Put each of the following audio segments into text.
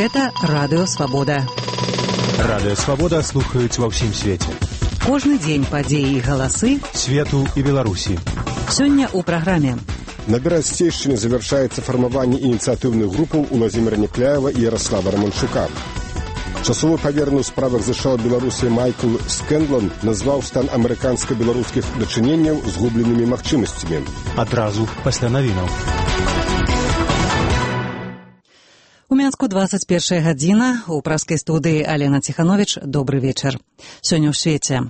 Гэта Радыё Свабода. Радыё Свабода слухаюць ва ўсім свеце. Кожны дзень падзеі і галасы свету і Беларусі. Сёння ў праграме. На Берасцейшчыне завершаецца фармаванне ініцыятыўных групаў Уладзіміра Някляева і Ярослава Романчука. Часовы паверны ў справах ЗША Беларусі Майкл Скэндлан назваў стан амерыканска-беларускіх дачыненняў згубленымі магчымасцямі. Адразу пасля навінаў. У Мінску 21 гадзіна. У праскай студыі Алена Ціхановіч. Добры вечар. Сёння ў свеце.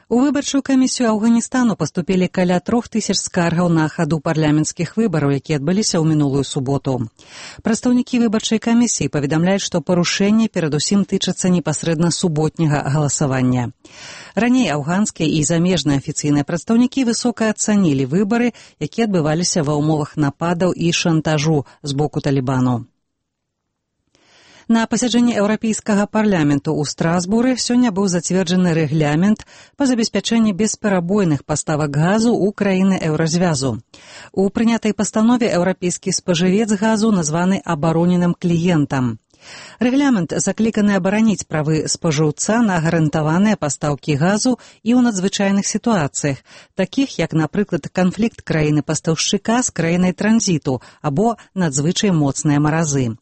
У выбарчую камісію Афганістану паступілі каля 3000 скаргаў на хаду парламенцкіх выбараў, якія адбыліся ў мінулую суботу. Прадстаўнікі выбарчай камісіі паведамляюць, што парушэнні перадусім тычацца непасрэдна суботняга галасавання. Раней афганскія і замежныя афіцыйныя прадстаўнікі высока ацанілі выбары, якія адбываліся ва ўмовах нападаў і шантажу з боку Талібану. На пасяджэнні Еўрапейскага парламенту ў Страсбуры сёння быў зацверджаны рэгламент па забеспячэнні бесперабойных паставак газу ў краіны еўразвязу. У прынятай пастанове еўрапейскі спажывец газу названы абароненым кліентам. Рэгламент закліканы абараніць правы спажыўца на гарантаваныя пастаўкі газу і ў надзвычайных сітуацыях, такіх як, напрыклад, канфлікт краіны-пастаўшчыка з краінай транзіту або надзвычай моцныя маразы.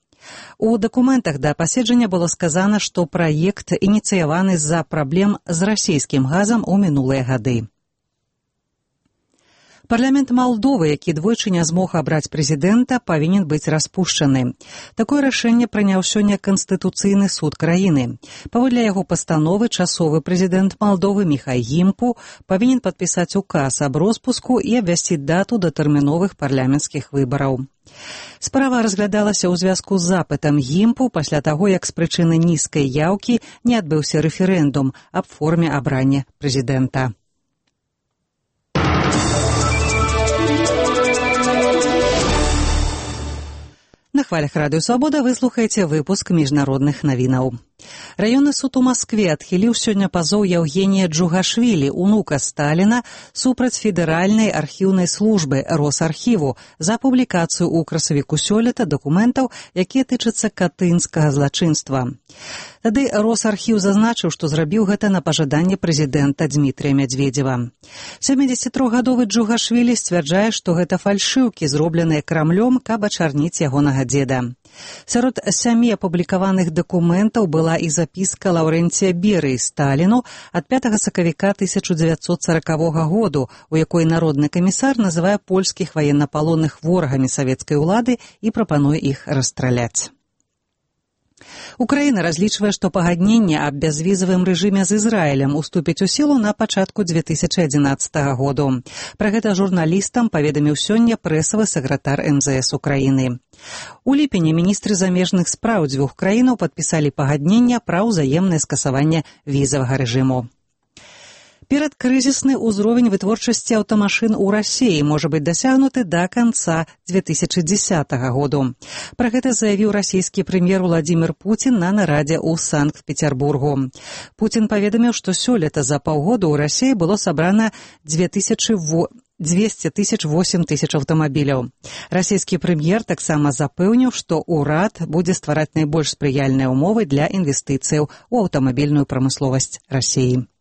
У дакументах да паседжання было сказана, што праект ініцыяваны з-за праблем з расійскім газам у мінулыя гады. Парламент Малдовы, які двойчы не змог абраць прэзідэнта, павінен быць распушчаны. Такое рашэнне прыняў сёння Канстытуцыйны суд краіны. Паводле яго пастановы часовы прэзідэнт Малдовы Міхай Гімпу павінен падпісаць указ аб роспуску і абвясціць дату датэрміновых парламенцкіх выбараў. Справа разглядалася ў звязку з запытам Гімпу пасля таго, як з прычыны нізкай яўкі не адбыўся рэферэндум аб форме абрання прэзідэнта. На хвалях Радыё Свабода вы слухаеце выпуск міжнародных навінаў. Раённы суд у Маскве адхіліў сёння пазоў Яўгенія Джугашвілі, унука Сталіна, супраць федэральнай архіўнай службы Росархіву за публікацыю ў красавіку сёлета дакументаў, якія тычацца катынскага злачынства. Тады Росархіў зазначыў, што зрабіў гэта на пажаданне прэзідэнта Дзмітрыя Мядзведзева. 73-гадовы Джугашвілі сцвярджае, што гэта фальшыўкі, зробленыя Крамлём, каб ачарніць ягонага дзеда. Сярод 7 апублікаваных дакументаў была і запіска Лаўрэнція Берыі Сталіну ад 5 сакавіка 1940 году, у якой народны камісар называе польскіх ваеннапалонных ворагамі савецкай улады і прапануе іх расстраляць. Украіна разлічвае, што пагадненне аб бязвізавым рэжыме з Ізраілем уступіць у сілу на пачатку 2011 году. Пра гэта журналістам паведаміў сёння прэсавы сакратар МЗС Украіны. У ліпені міністры замежных спраў дзвюх краінаў падпісалі пагадненне пра ўзаемнае скасаванне візавага рэжыму. Перадкрызісны ўзровень вытворчасці аўтамашын у Расіі можа быць дасягнуты да канца 2010 году. Пра гэта заявіў расійскі прэм'ер Уладзімір Пуцін на нарадзе ў Санкт-Петербургу. Пуцін паведаміў, што сёлета за паўгода ў Расіі было сабрана 208 тысяч аўтамабіляў. Расійскі прэм'ер таксама запэўніў, што ўрад будзе ствараць найбольш спрыяльныя ўмовы для інвестыцыяў у аўтамабільную прамысловасць Расіі.